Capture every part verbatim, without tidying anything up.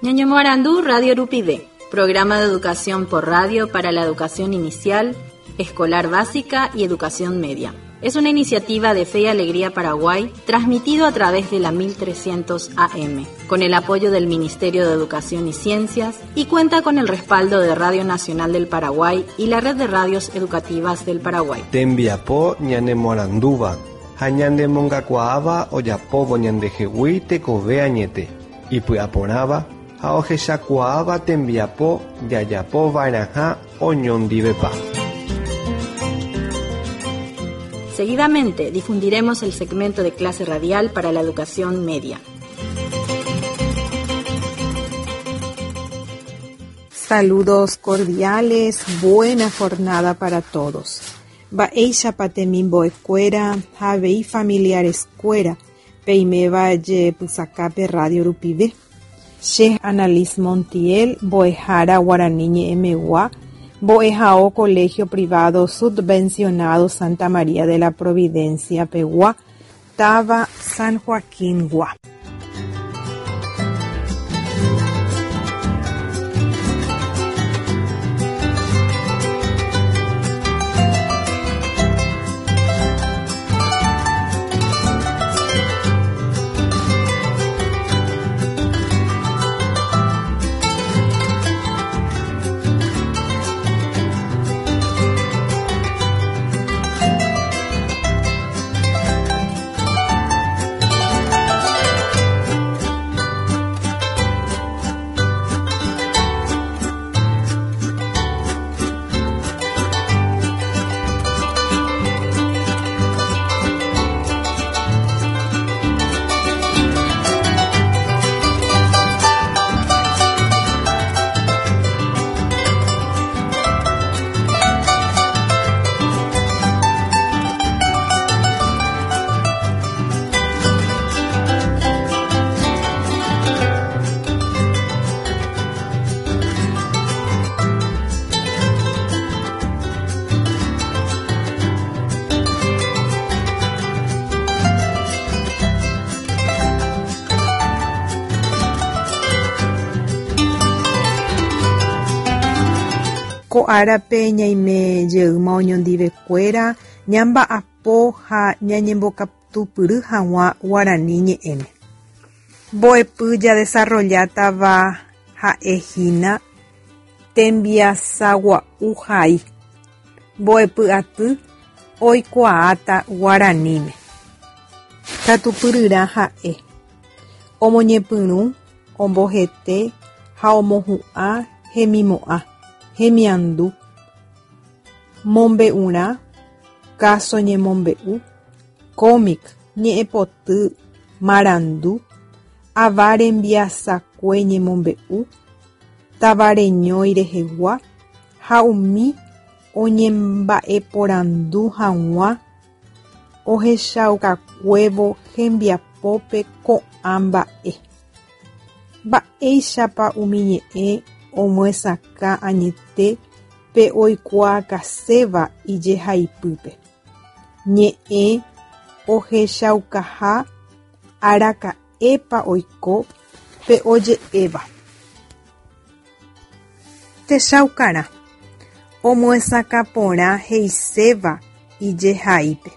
Ñañomoarandu Radio Rupive, programa de educación por radio para la educación inicial, escolar básica y educación media. Es una iniciativa de Fe y Alegría Paraguay, transmitido a través de la mil trescientos A M, con el apoyo del Ministerio de Educación y Ciencias, y cuenta con el respaldo de Radio Nacional del Paraguay y la Red de Radios Educativas del Paraguay. Tembiapo ñanemoarandúva, ha ñanemongakuaáva ojapóvo ñandehegui tekove añete, ipy'aporãva ha ohechakuaáva tembiapo jajapova'erãha oñondivepa. Seguidamente difundiremos el segmento de clase radial para la educación media. Saludos cordiales, buena jornada para todos. Mba'éichapa temimbo'ekuéra ha avei familiareskuéra peiméva jepysakápe radio rupive. Che Annalise Montiel, mbo'ehára Guarani ñe'ẽmegua, mbo'ehao Colegio Privado Subvencionado Santa María de la Providencia pegua, táva San Joaquín gua. Ko árape ñaime jeýma oñondivekuéra ñamba'apo ha ñañembokatupyry hag̃ua Guarani ñe'ẽme. Mbo'epy jadesarrollátava ha'ehína tembiasagua'u hai. Mbo'epy aty oikuaáta Guaraníme. Katupyryrã ha'e omoñepyrũ, ombohete ha omohu'ã hemimo'ã, hemiandu, mombe'urã, káso ñemombe'u, cómic, ñe'ẽpoty, marandu, ava rembiasakue ñemombe'u, tavareñói rehegua ha umi oñemba'eporandu hag̃ua ohechaukakuévo hembiapópe ko'ã mba'e. Mba'éichapa umi ñe'ẽ omyesakã añete pe oikuaakaséva ijehaipýpe. Ñe'ẽ ohechaukaha araka'épa oiko pe oje'éva. Techaukarã omyesakã porã he'iséva ijehaípe.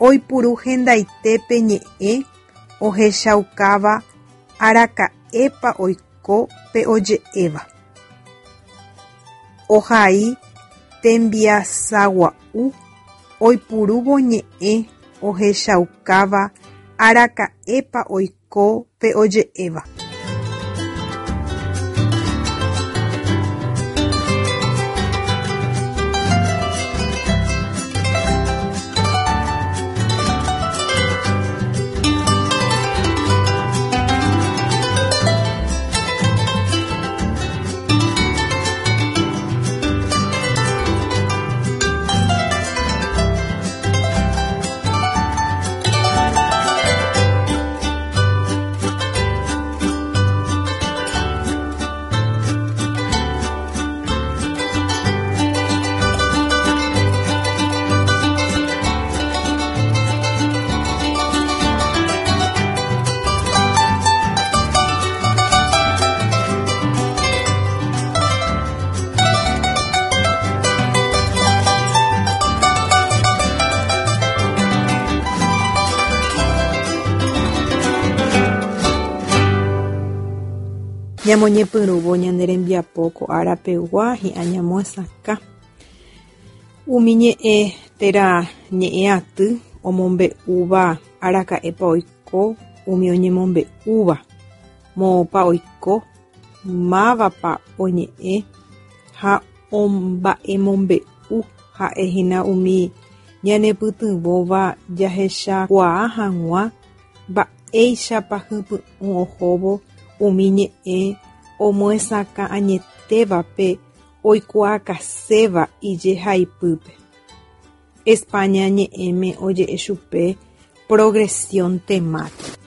Oipuru hendaitépe ñe'ẽ ohechaukáva araka'épa oiko pe oje'éva. Ohai tembiasagua'u oipurúvo ñe'ẽ ohechaukáva araka'épa oiko pe oje'éva. Ñamoñepyrũvo ñane rembiapo ko árapegua hi'ã ñamohesakã. Umi ñe'ẽ térã ñe'ẽ aty omombe'úva araka'épa oiko umi oñemombe'úva, moõpa oiko, mávapa oñe'ẽ ha omba'emombe'u ha'ehína umi ñanepytyvõva jahechakuaa hag̃ua mba'éichapa hypy'ũ ohóvo umi ñe'ẽ omohesakã añetévape oikuaakaséva ijehaipýpe. España ñe'ẽme oje'e chupe progresión temática.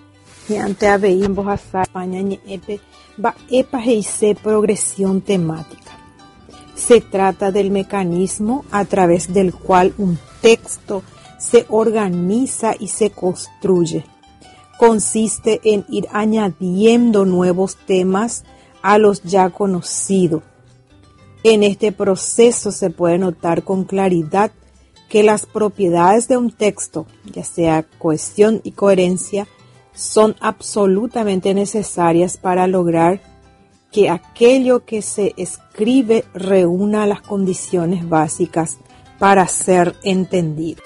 Hi'ãnte avei mbohasa España ñe'ẽpe mba'épa he'ise progresión temática. Se trata del mecanismo a través del cual un texto se organiza y se construye. Consiste en ir añadiendo nuevos temas a los ya conocidos. En este proceso se puede notar con claridad que las propiedades de un texto, ya sea cohesión y coherencia, son absolutamente necesarias para lograr que aquello que se escribe reúna las condiciones básicas para ser entendido.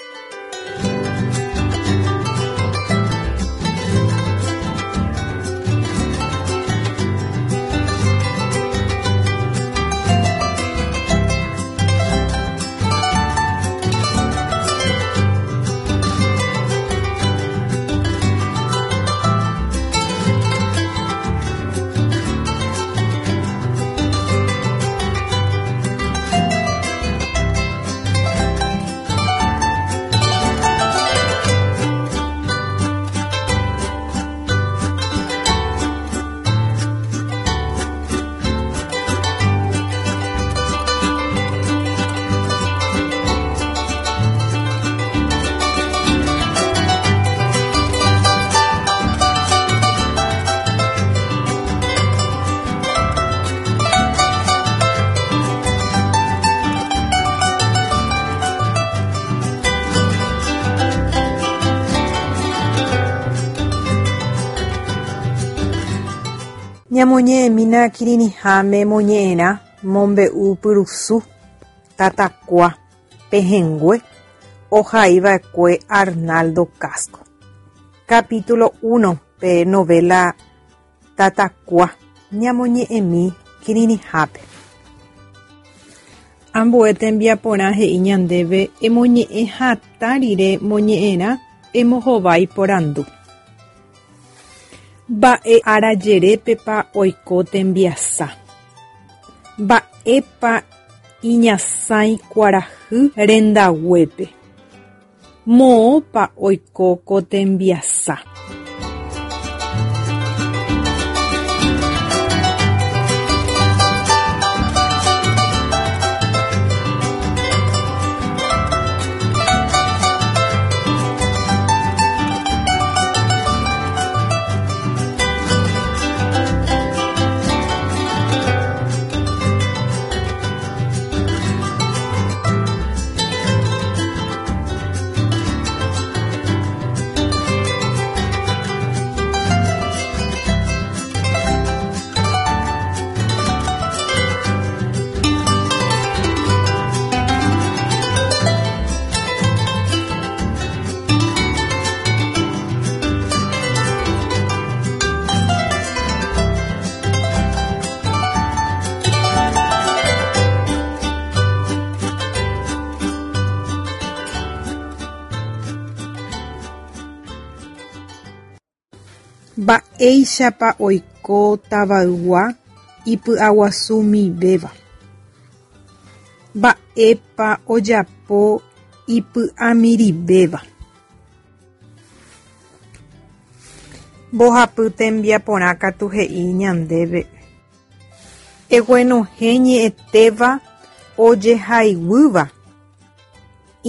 Ñamoñe'ẽmína kirirĩháme moñe'ẽrã mombe'u pyrusu Tatakua pehẽngue ohaiva'ekue Arnaldo Casco. Capítulo uno pe novela Tatakua ñamoñe'ẽmi kirirĩhápe. Ambue tembiaporã he'i ñandéve emoñe'ẽ hatã rire moñe'ẽrã embohovái porandu. Mba'e arajerépepa oiko tembiasa. Mba'épa iñasãi kuarahy rendaguépe. Moõpa oiko ko tembiasa. Mba'éichapa oiko tavaygua ipy'aguasumivéva. Mba'épa ojapo ipy'amirĩvéva. Mbohapy tembiaporã katu he'i ñandéve. Eguenohẽ ñe'ẽtéva ojehaiguýva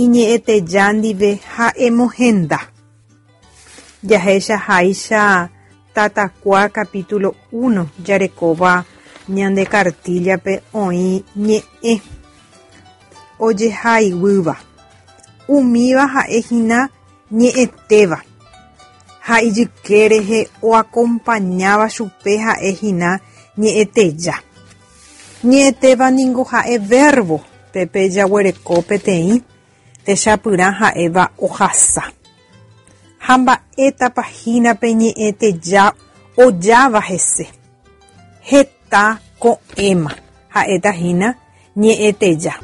iñe'ẽteja ndive ha emohenda. Jahechaháicha Tatakua capítulo uno jarekóva ñande kartíllape oĩ ñe'ẽ ojehaiguýva. Umíva ha'ehína ñe'ẽtéva ha ijyke rehe oakompañáva chupe ha'ehína ñe'ẽteja. Ñe'ẽtéva ningo ha'e verbo pépe jaguereko peteĩ techapyrã ha'éva ohasa. Ha mba'étapa hína pe ñe'ẽteja ojáva hese. Heta ko'ẽma ha'éta hína ñe'ẽteja.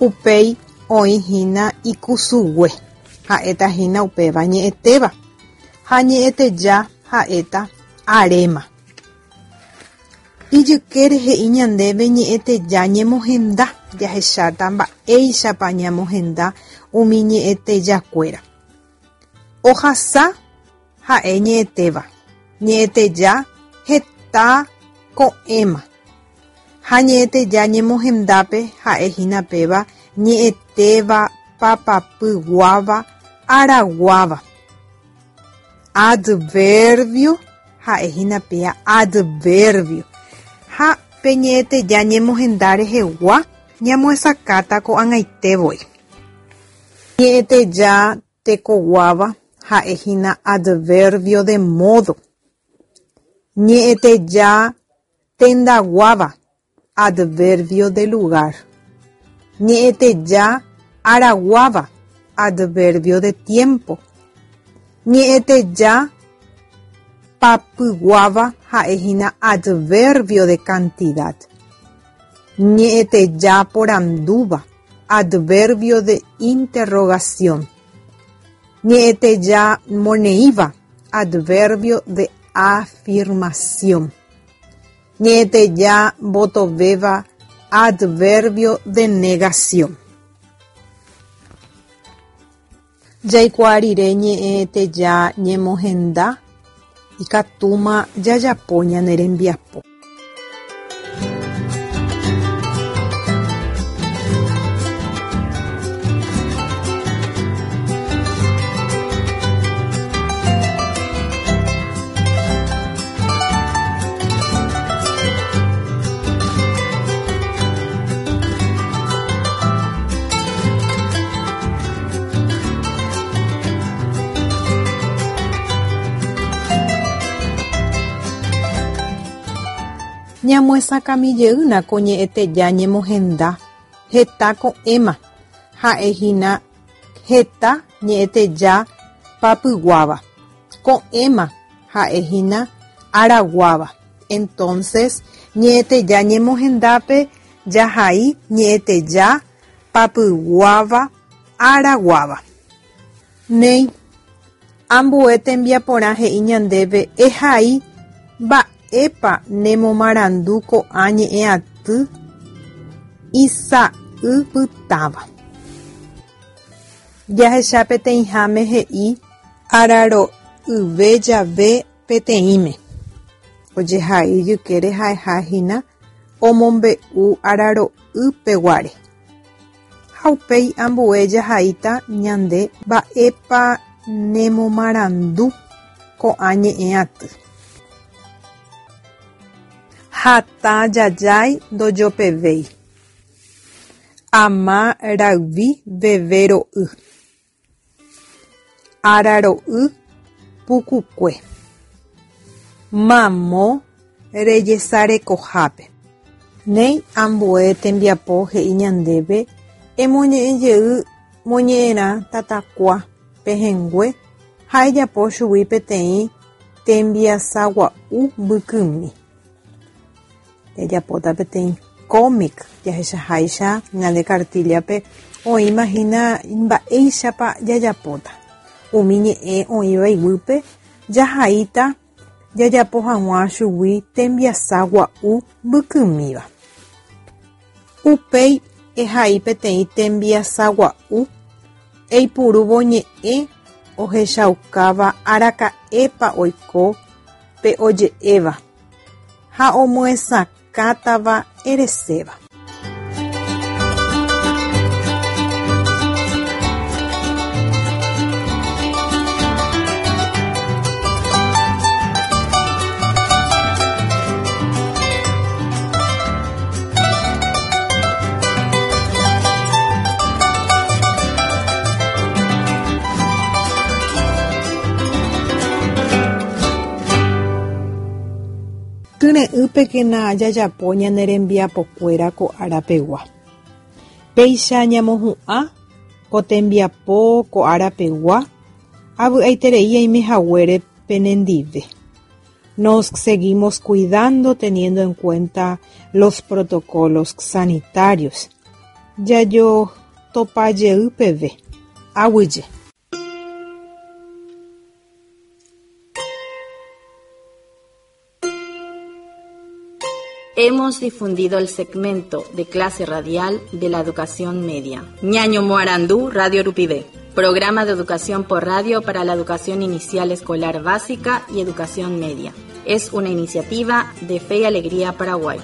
Upéi oĩhína ikusugue ha'éta hína upéva ñe'ẽtéva ha ñe'ẽteja ha'éta aréma. Ijykére he'i ñandéve ñe'ẽteja ñemohenda jahecháta mba'éichapa ñamohenda umi ñe'ẽtejakuéra. Ohasa ha'e ñe'ẽtéva, ñe'ẽteja heta ko'ẽma ha ñe'ẽteja ñemohendápe ha'ehína péva ñe'ẽtéva papapyguáva araguáva. Adverbio ha'ehína péa adverbio ha pe ñe'ẽteja ñemohenda rehegua ñamohesakãta ko'ag̃aitevoi. Ñe'ẽteja tekoguáva ha'ehína adverbio de modo. Ñe'ẽteja tendaguáva adverbio de lugar. Ñe'ẽteja araguáva adverbio de tiempo. Ñe'ẽteja papyguáva ha'ehína adverbio de cantidad. Ñe'ẽteja porandúva adverbio de interrogación. Ñe'ẽteja moneíva adverbio de afirmación. Ñe'ẽteja mbotovéva adverbio de negación. Jaikuaa rire ñe'ẽteja ñemohenda ikatúma jajapo ñane rembiapo. Ñamohesakãmijeýna ko ñe'ẽteja ñemohenda heta ko'ẽma ha'ehína heta ñe'ẽteja papyguáva. Ko'ẽma ha'ehína araguáva. Entonces ñe'ẽteja ñemohendápe jahai ñe'ẽteja papyguáva araguáva. Néi, ambue tembiaporã he'i ñandéve ehai mba'épa nemomarandu ko'ã ñe'ẽaty isa'ypytãva. Jahecha peteĩháme he'i araro'yve jave peteĩme. Ojehai ijykére ha'ehahína omombe'u araro'ypeguáre. Ha upéi ambue jahaíta ñande mba'épa nemomarandu ko'ã ñe'ẽaty. Hatã jajái ndojopevéi. Ama rayvi veve ro'y. Araro'y pukukue. Mamo rejesarekohápe. Néi ambue tembiapo he'i ñandéve emoñe'ẽjey moñe'ẽrã tatakua pehẽngue ha ejapo chugui peteĩ tembiasagua'u mbykymi. Jajapóta peteĩ cómic jahechaháicha ñande cartilla-pe oĩmahína mba'éichapa jajapóta. Umi ñe'ẽ oĩva iguýpe jahaíta jajapo hag̃ua chugui tembiasa gua'u mbykymíva. Upéi ehai peteĩ tembiasa gua'u eipurúvo ñe'ẽ ohechaukáva araka'épa oiko pe oje'éva ha omyesakãtava ereséva. Kyre'ỹpekena jajapo ñane rembiapokuéra ko árapegua. Péicha ñamohu'ã ko tembiapo ko árapegua avy'aiterei aimehaguére penendive. Nos seguimos cuidando teniendo en cuenta los protocolos sanitarios. Jajotopajey peve. Aguyje. Hemos difundido el segmento de clase radial de la educación media. Ñaño Moarandú, Radio Rupivé. Programa de educación por radio para la educación inicial escolar básica y educación media. Es una iniciativa de Fe y Alegría Paraguay.